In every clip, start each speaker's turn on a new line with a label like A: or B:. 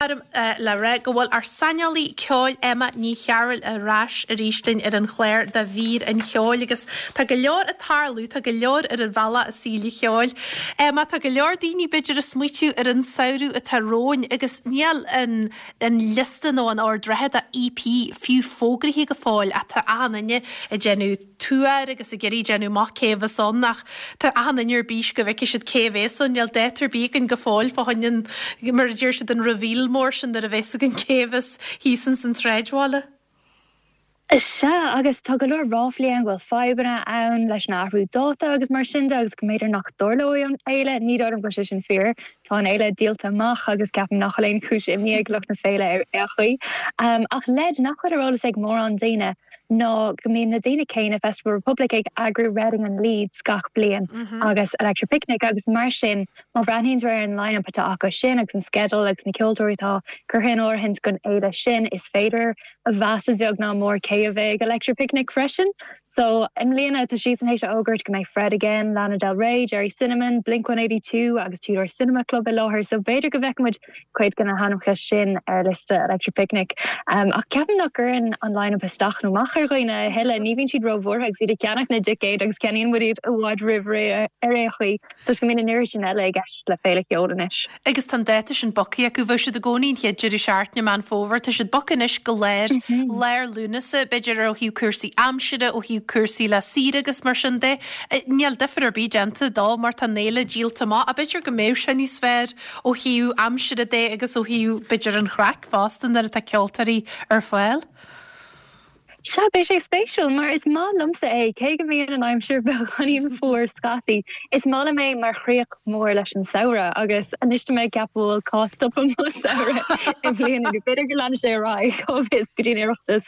A: Orm le rá go bhfuil ár saineolaí ceoil Emma Ní Chearúil ar ais arís linn ar an chlár do mhír an cheoil agus tá go leor ag tarlú, tá go leor ar an bhealach i saol an cheoil. Emma, tá go leor daoine b'fhéidir ag smaoitiú ar an samhradh atá romhainn agus níl an an liosta nó an ord reatha do EP fiú fógraithe go fóill ach tá achan duine ag déanamh tuar agus ag iarraidh déanamh amach cé a bheas ann ach tá achan duine ar bís go bhfeicfidh siad cé a bhéas ann. Níl dáta ar bith againn go fóill fá choinne an, mar a deir siad, an reveal mór sin nuair a bheas againn cé a bheas thíos ins an tsráidbhaile.
B: Sea, agus tá go leor ráflaí ann go bhfuil fadhbanna ann leis an athrú dáta agus mar sin de agus go mb'fhéidir nach dtarlóidh an fhéile. Ní dóigh liom go bhfuil sé sin fíor. Tá an fhéile díolta amach agus ceapaim nach bhfuil aon chúis imní ag lucht na féile ar aon chaoi. Ach leid nach bhfuil ar eolas ag mórán daoine, ná go mbíonn na daoine céanna, Festival Republic, ag eagrú Reading and Leeds gach bliain agus Electric Picnic agus mar sin má bhreathnaíonn tú ar an line-up atá acu sin agus an sceideal agus na ceoltóirí atá curtha in áirithint don fhéile sin is féidir a mheas a bheag ná mór cé a bheidh ag Electric Picnic freisin. So i mbliana tá siadsan théis a fhógairt go mbeidh Fred Again, Lana Del Rey, Gerry Cinnamon, Blink 182 agus Two Door Cinema Club i láthair so b'fhéidir go bhfeicfidh muid cuid de na hainmneacha sin ar liosta Electric Picnic. Ach ceapaim nach gcuireann an line-up isteach nó amach ar dhaoine a thuilleadh. Ní bhíonn siad róbhuartha agus iad ag ceannach na dticéad agus ceannaíonn muid iad i bhfad roimh ré ar aon chaoi toisc go mbíonn an oiread sin eile i gceist le féile cheoil anois.
A: Agus tá an dáta sin bogtha acu. Bheadh siad i gcónaí an chéad deireadh seachtaine Meán Fómhair. Tá siad bogtha anois go lár, lár Lúnasa, b'fhéidir ó thaobh cúrsaí aimsire, ó thaobh cúrsaí le saoire agus mar sin de. Níl difear ar bith déanta dó mar tá an fhéile díolta amach. Ach b'fhéidir go mbeadh sé níos fearr ó thaobh aimsire de agus ó thaobh, b'fhéidir, an chraic fosta nuair atá ceoltóirí ar fáil.
B: Sea, beidh sé spéisiúil mar is maith liomsa é, cé go mbíonn an aimsir beagáinín fuar scaití, is maith liom é mar chríoch mhór leis an samhradh agus anois tá mé ag ceapadh bhfuil cá stopann mo samhradh i mbliana nó b'fhéidir go leanfaidh sé ar aghaidh, cá bhfios, go dtí an Oireachtas.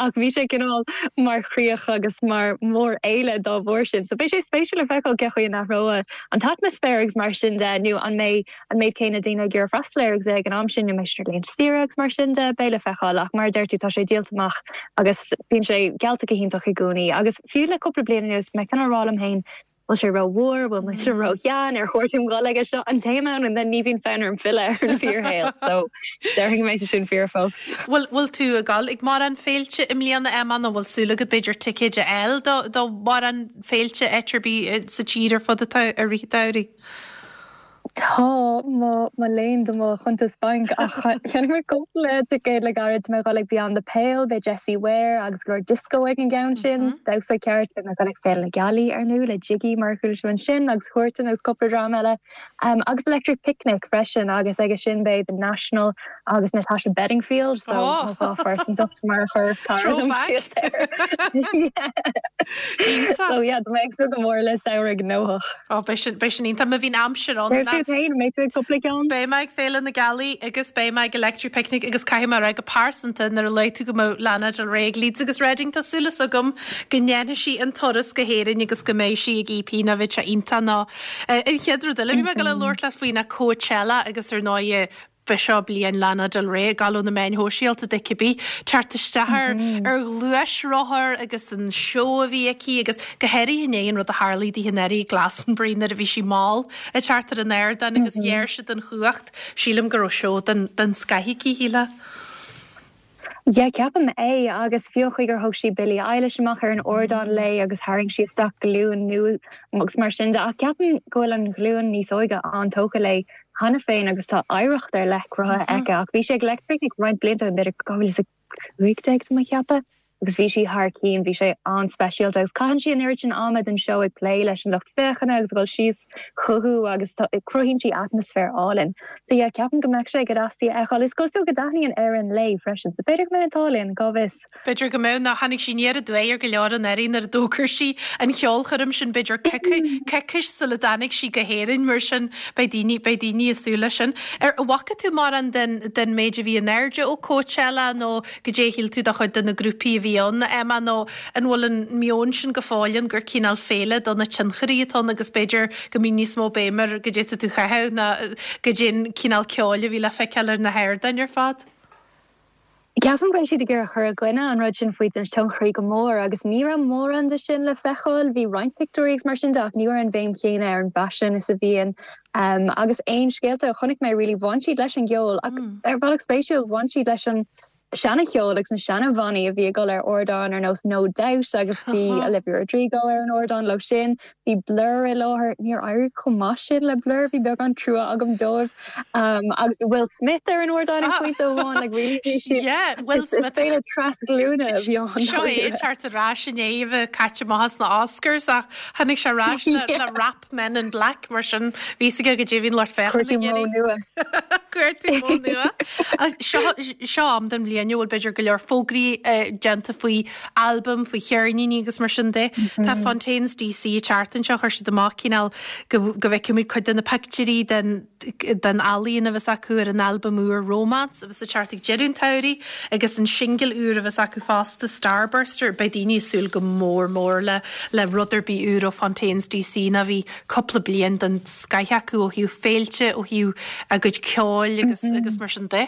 B: Ach bhí sé cineál mar chríoch agus mar mhórfhéile dá bharr sin. So beidh sé spéisiúil le feiceáil cén chaoi a n-athróidh an t-atmaisféar agus mar sin de, nó an mbeidh an méid céanna daoine ag iarraidh freastal air agus é ag an am sin, nó an mbeidh siad ar laethanta saoire agus mar sin de, beidh le feiceáil. Ach mar a deir tú, tá sé díolta amach agus bíonn sé geallta go hiontach i gcónaí. Agus fiú le cúpla bliain anuas, mé cineál ag rá liom féin, bhfuil sé rómhór, bhfuil mise róshean, ar chóir dom dhul aige seo an téim ann and then ní bhíonn fonn orm filleadh ar an bhfíorshaol. So déarfainn go mbeidh sé sin fíor fós.
A: Bhfuil, bhfuil tú ag dul ag mórán féilte i mbliana, Emma, nó bhfuil súil agat b'fhéidir ticéid a fháil do, do mhórán féilte áit ar bith sa tír ar fud atá i rith an tsamhraidh?
B: Tá, mo léan do mo chuntas bainc ach cheannaigh mé cúpla ticéad le gairid. Tá mé ag dul ag Beyond the Pale, beidh Jessie Ware agus go leor disco ag an gceann sin, damhsa ceart. Beidh mé ag dul ag Féile na Gealaí ar ndóigh le Jiggy mar a chuala tú ansin agus Huartan agus cúpla dream eile. Agus Electric Picnic freisin agus aige sin beidh The National agus Natasha Bedingfield so mo dhá phearsantacht mar a chuir cara liom síos air. So yeah, tá mé ag súil go mór le samhradh gnóthach.
A: Ó, beidh sin, beidh sin iontach. Má bhíonn aimsir ann.
B: Céard fút féin, an mbeidh tú ag cúpla ceann?
A: Beidh mé ag Féile na Gealaí agus beidh mé ag Electric Picnic agus caithfidh mé a rá go pearsanta nuair a luaigh tú go mbeadh Lana Del Rey ag Leeds agus Reading tá súil agam go ndéanfaidh sí an turas go hÉirinn agus go mbeidh sí ag EP nó bheadh sé iontach nó an chéad rud eile a bhí mé ag dul a labhairt leat faoi ná Coachella agus ar ndóigh B'seo bliain Lana Del Rey ag gabháil ó na meáin shóisialta di cibé, teacht isteach ar ar ghluaisrothar agus an seó a bhí aici agus go háirithe i ndiaidh an rud a tharlaigh di anuraidh i Glastonbury nuair a bhí sí mall ag teacht ar an ardán agus ghéar siad an chumhacht. Sílim go raibh seó den den scoith aici, shílfeá.
B: Yeah, ceapaim é, agus fiú an chaoi gur thug sí Billie Eilish amach ar an ardán léi agus tharraing sí isteach glúin nua agus mar sin de, ach ceapaim go bhfuil an ghlúin níos óige an-tógtha léi cheana féin agus tá oidhreacht ar leith cruthaithe aici. Ach bhí sí ag Electric Picnic roinnt blianta ó shin, b'fhéidir 2015 tá mé ag ceapadh, agus bhí sí thar cinn, bhí sé an-speisialta agus caitheann sí an oiread sin ama den seó ag plé leis an lucht féachana agus ag dul síos chucu agus cruthaíonn sí atmaisféar álainn. So yeah, ceapaim go mbeadh sé go deas í a fheiceáil. Is cosúil go dtaitníonn Éirinn léi freisin, so b'fhéidir go mbeidh an t-ádh linn, cá bhfios?
A: B'fhéidir go mbeadh, nó tháinig sí aniar aduaidh ar go leor anuraidh nuair a d'fhógair sí an cheolchoirm sin, b'fhéidir coicís sula dtáinig sí go hÉirinn, mar sin beidh daoine, beidh daoine ag súil leis sin. Ar bhfaca tú mórán den, den méid a bhí in airde ó Coachella nó goidé a shíl tú de chuid de na grúpaí a bhí ann, Emma, nó an bhfuil an meon sin go fóill ann gur cineál féile do na tionchairí atá ann agus b'fhéidir go mbíonn níos mó béim ar goidé atá tú a chaitheamh ná goidé an cineál ceoil a bhí le feiceáil ar na hardáin ar fad?
B: Ceapaim go raibh siad ag iarraidh cur i gcoinne an rud sin faoi na tionchairí go mór agus ní raibh mórán de sin le feiceáil. Bhí roinnt pictiúirí agus mar sin de ach ní raibh an bhéim chéanna ar an bhfaisean is a bhíonn. Agus aon scéalta a chonaic mé really bhain siad leis an gceol ach ar bhealach spéisiúil bhain siad leis an seana-cheol agus na seana-bhannaí a bhí ag dul ar ardán ar nós No Doubt agus bhí Olivia Rodrigo ar an ardán leo sin. Bhí Blur i láthair, níor éirigh chomh maith sin le Blur, bhí beagán trua agam dóibh. Agus bhí Will Smith ar an ardán ag pointe amháin, like really bhí siad,
A: Yeah, Will
B: is
A: Smith.
B: féile trasghlúine a bhí ann.
A: Seo é ag teacht ar ais i ndiaidh a bheith caite amach as na Oscars ach tháinig sé ar ais le
B: Yeah.
A: le rap Men in Black mar sin bhí fhios aige goidé a bhí an lucht féachana
B: Cuartú
A: ag
B: modh
A: iarraidh.
B: nua.
A: Cuartú modh nua. Seo seo am den bhliain a bhfuil b'fhéidir go leor fógraí déanta faoi albaim, faoi cheirníní agus mar sin de. Tá Fontaines DC ag teacht anseo, chuir siad amach cineál go go bhfeicfimid cuid de na pictiúirí den den ealaíon a bheas acu ar an albam úr Romance a bheas ag teacht ag deireadh an tsamhraidh agus an singil úr a bheas acu fosta Starburster. Beidh daoine ag súil go mór mór le le rud ar bith úr ó Fontaines DC nó bhí cúpla bliain den scoith acu ó thaobh féilte, ó thaobh a gcuid ceoil agus agus mar sin de.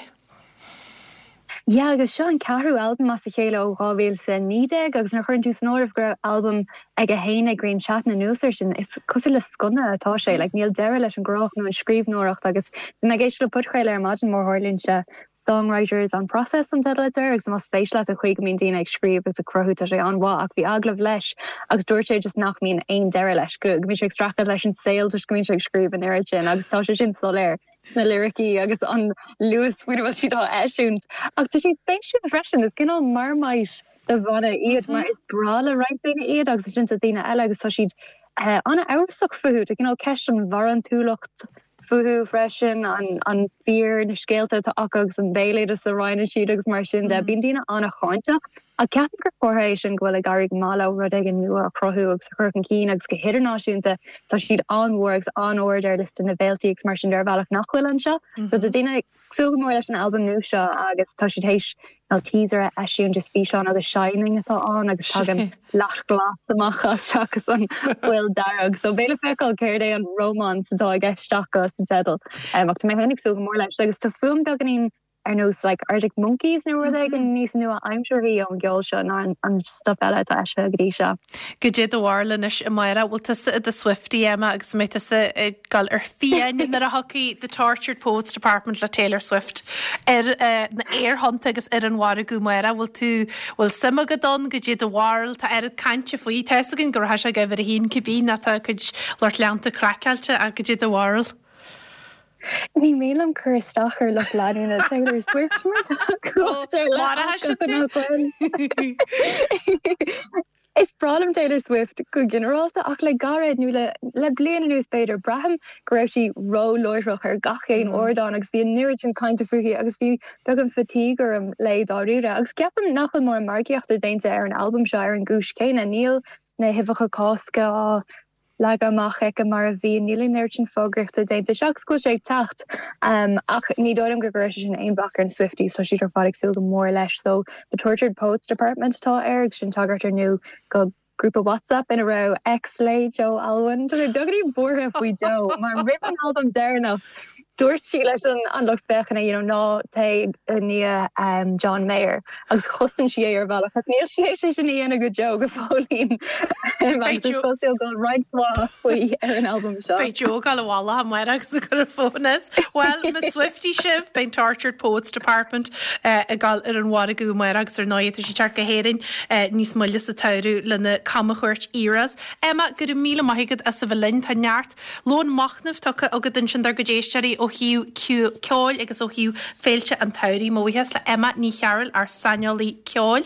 B: Yeah agus seo an ceathrú albam as a chéile ó 2019 agus nuair a chuireann tú san áireamh go raibh albam aige féin ag Grian Chatten anuas air sin, is cosúil le sconna atá sé, like níl deireadh leis an gcruthaitheacht nó an scríbhneoireacht agus bhí mé ag éisteacht le podchraoladh ar maidin mar a tharlaíonn sé, Songwriters on Process an teideal atá air agus más spéis leat an chaoi go mbíonn daoine ag scríobh agus ag cruthú tá sé an-mhaith ach bhí agallamh leis agus dúirt sé just nach mbíonn aon deireadh leis, go mbíonn sé ag streachailt leis an saol toisc go mbíonn sé ag scríobh an oiread sin agus tá sé sin soiléir. sna liricí agus an luas faoina bhfuil siad á eisiúint. Ach tá siad spéisiúil freisin, is cineál Marmite de bhanna iad mar is breá le roinnt daoine iad agus ansin tá daoine eile agus tá siad an-amhrasach fúthu. Tá cineál ceist an bharántúlacht fúthu freisin, an fíor na scéalta atá acu agus an béaloideas a roinneann siad agus mar sin de. Bíonn daoine an-cháinteach. Ach ceapaim gur comhartha é sin go bhfuil ag éirí go maith leo rud éigin nua a chruthú agus a chur chun cinn agus go hidirnáisiúnta tá siad an-mhór agus an-ard ar liosta na bhféiltí agus mar sin de ar bhealach nach bhfuil anseo. So tá daoine ag súil go mór leis an albam nua seo agus tá siad théis nó teaser a eisiúint is físeán ó The Shining atá ann agus tagann leacht glas amach as seachas an fhuil dearg. So beidh le feiceáil céard é an romance atá i gceist acu sa teideal. Ach tá mé féin ag súil go mór leis agus tá fuaim beagáinín ar nós like Arctic Monkeys nó rud éigin níos nua-aimsearthaí ón gceol seo ná an stuff eile atá eisithe go dtí seo.
A: Goidé do bharúil anois amárach, bhfuil tusa i do Swiftie, Emma, agus an mbeidh tusa ag dul ar fiáin nuair a thiocfaidh The Tortured Poets Department le Taylor Swift ar na aerthonnta agus ar an mhargadh amárach? Bhfuil tú, bhfuil suim agat ann? Goidé do bharúil? Tá oiread cainte faoi. Tá fhios againn go rachaidh sé ag uimhir a haon cibé nó tá a cuid lucht leanta craiceáilte ach goidé do bharúil?
B: Ní mian liom cur isteach ar lucht leanúna Taylor Swift mar tá cumhacht ar leith acu nach bhfuil. Is breá liom Taylor Swift go ginearálta ach le gairid, nó le le bliain anuas b'fhéidir, braithim go raibh sí ró-láithreach ar gach aon ardán agus bhí an oiread sin cainte fúithi agus bhí beagán fatigue orm léi dáiríre. Agus ceapaim nach bhfuil mórán margaíochta déanta ar an albam seo ar an gcúis chéanna, níl na huibheacha Cásca á leagadh amach aici mar a bhí. Níl an oiread sin fógraíochta déanta seachas go bhfuil sé ag teacht. Ach ní dóigh liom go gcuirfidh sé sin aon bhac ar na Swifties, tá siad ar fad ag súil go mór leis. So, The Tortured Poets Department atá air agus sin tagairt ar ndóigh do ghrúpa WhatsApp ina raibh ex léi, Joe Alwyn. Tá mé beagáinín buartha faoi Joe mar roimh an albam deireanach dúirt sí leis an lucht féachana you know ná téigh i ndiaidh John Mayer agus chosain sí é ar bhealach ach níl sí théis é sin a dhéanamh go deo go fóillín agus is cosúil go bhfuil roinnt mhaith faoi ar an albam seo.
A: Beidh Joe ag dul i bhfolach amárach agus ag cur an fón as. Bhuel, más Swiftie sibh, beidh an Tortured Poets Department ag dul ar an mhargadh amárach agus ar ndóigh tá sí ag teacht go hÉirinn níos moille sa tsamhradh lena camchuairt Eras. Emma, go raibh míle maith agat as a bheith linn. Tá neart Lón machnaimh tugtha agat ansin dár gcuid éisteoirí ó thaobh ceoil agus ó thaobh féilte an tsamhraidh. Mo bhuíochas le Emma Ní Chearúil, ár saineolaí ceoil.